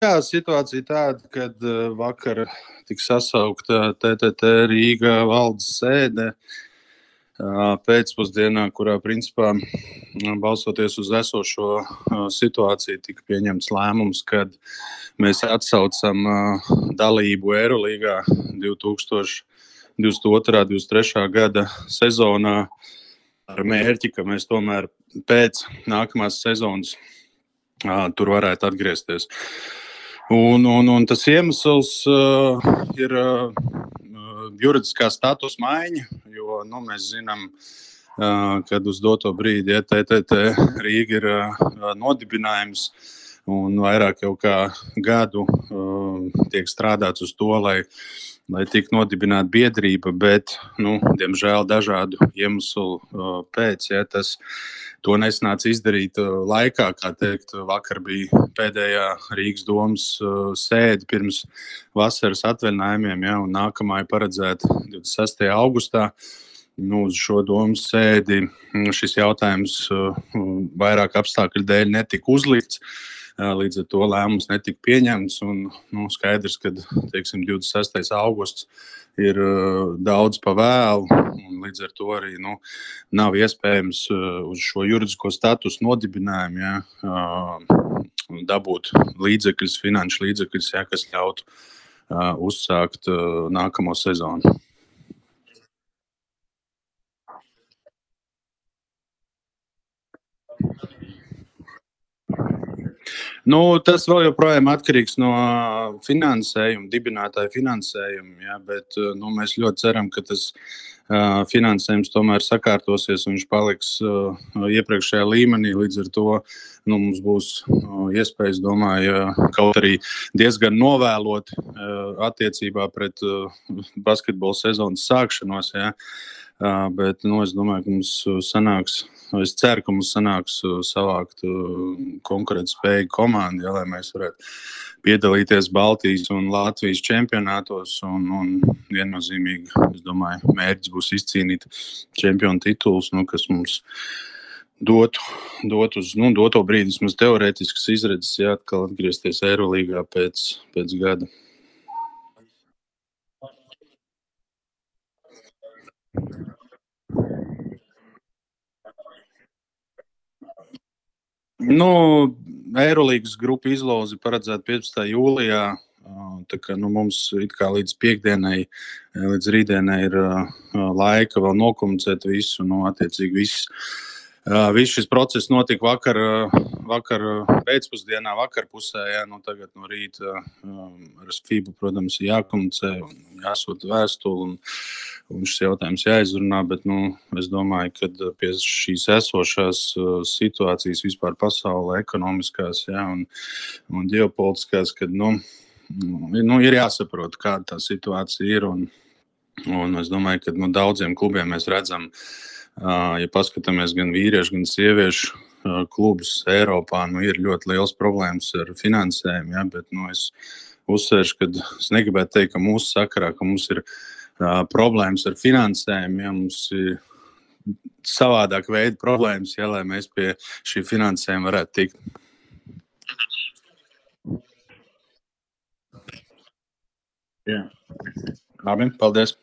Jā, situācija tāda, kad vakar tika sasaukta TTT Rīga valdes sēde pēcpusdienā, kurā principā balstoties uz esošo situāciju tika pieņemts lēmums, kad mēs atsaucam dalību Eirolīgā 2022. 23. gada sezonā ar mērķi, ka mēs tomēr pēc nākamās sezonas tur varētu atgriezties. Un tas iemesls ir juridiskā status maiņa, jo mēs zinām, kad uz doto brīdi TTT Rīga ir nodibinājums un vairāk jau kā gadu tiek strādāts uz to, lai tiktu nodibināta biedrība, bet, diemžēl, dažādu iemeslu pēc, tas to nesnāca izdarīt laikā, kā teikt, vakar bija pēdējā Rīgas domas sēde pirms vasaras atvaļinājumiem, un nākamā ir paredzēta 26. augustā. Uz šo domas sēdi šis jautājums vairāk apstākļu dēļ netika uzlikts. Līdz ar to lēmums netika pieņemts. Skaidrs, ka 26. augusts ir daudz pa vēlu. Līdz ar to arī nav iespējams uz šo juridisko statusu nodibinājumu dabūt līdzekļus, finanšu līdzekļus, kas ļautu uzsākt nākamo sezonu. Tas vēl joprojām atkarīgs no finansējuma, dibinātāja finansējuma, bet mēs ļoti ceram, ka tas finansējums tomēr sakārtosies un viņš paliks iepriekšējā līmenī. Līdz ar to mums būs iespējas, domāju, kaut arī diezgan novēlot attiecībā pret basketbola sezonas sākšanos. Bet es domāju, ka mums sanāks. Es ceru, ka mums sanāks savākt konkurētspējīgu komandu, lai mēs varētu piedalīties Baltijas un Latvijas čempionātos. Un viennozīmīgi, es domāju, mērķis būs izcīnīt čempionu titulus, kas mums dot uz doto brīdi vismaz teorētiskas izredzes, atkal atgriezties Eirolīgā pēc gada. Eirolīgas grupu izloze paredzēta 15. jūlijā. Tā kā mums līdz piekdienai, līdz rītdienai ir laika vēl nokomunicēt visu. Attiecīgi viss šis process notika vakar pēcpusdienā, vakarpusē. Tagad no rīta ar FIBA, protams, ir jākomunicē, jāsūta vēstuli un šis jautājums jāizrunā. Bet es domāju, ka pie šīs esošās situācijas vispār pasaulē, ekonomiskās un ģeopolitiskās, kad ir jāsaprot, kāda tā situācija ir. Un es domāju, ka daudziem klubiem mēs redzam, ja paskatāmies gan vīriešu, gan sieviešu klubus Eiropā, ir ļoti liels problēmas ar finansējumu. Bet es uzsvēršu, ka es negribētu teikt, ka mūsu sakarā, ka mums ir problēmas ar finansējumu. Mums ir savādāk veida problēmas, lai mēs pie šī finansējuma varētu tikt. Jā. Labi, paldies!